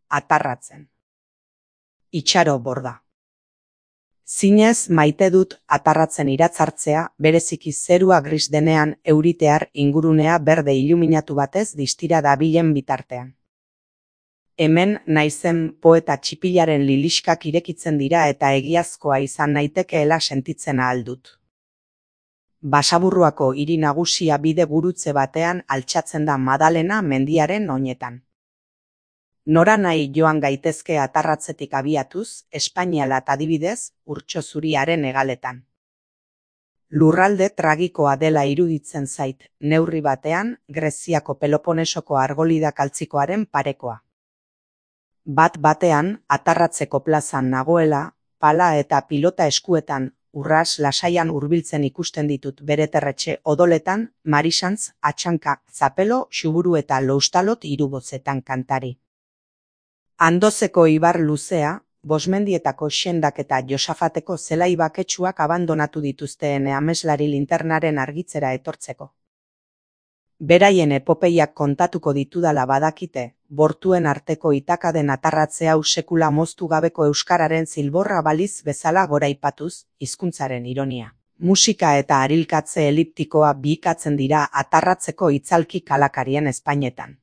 atarratzen. Itxaro borda. Zinez maite dut atarratzen iratzartzea, bereziki zerua gris denean euritear ingurunea berde iluminatu batez distira dabilen bitartean. Hemen naizen poeta txipilaren liliskak irekitzen dira eta egiazkoa izan naitekeela sentitzen ahal dut. Basaburruako hiri nagusia bide gurutze batean altxatzen da Madalena mendiaren oinetan. Nora nahi joan gaitezke atarratzetik abiatuz, Espainialat adibidez, Urtxo Zuriaren hegaletan. Lurralde tragikoa dela iruditzen zait, neurri batean, Greziako Peloponesoko argolida kaltzikoaren parekoa. Bat-batean, atarratzeko plazan nagoela, pala eta pilota eskuetan, urras lasaian hurbiltzen ikusten ditut bere terretxe odoletan, Marisantz, Atxanka, Zapelo, Xuburu eta Loustalot hirubozetan kantari. Andozeko ibar luzea, Bosmendietako Xendak eta Josafateko zelai baketsuak abandonatu dituzteen ameslari linternaren argitzera etortzeko. Beraien epopeiak kontatuko ditudala badakite, bortuen arteko itakaden atarratze hau sekula moztu gabeko euskararen zilborra baliz bezala goraipatuz, hizkuntzaren ironia. Musika eta arilkatze eliptikoa bihikatzen dira atarratzeko itzalki kalakarien ezpainetan.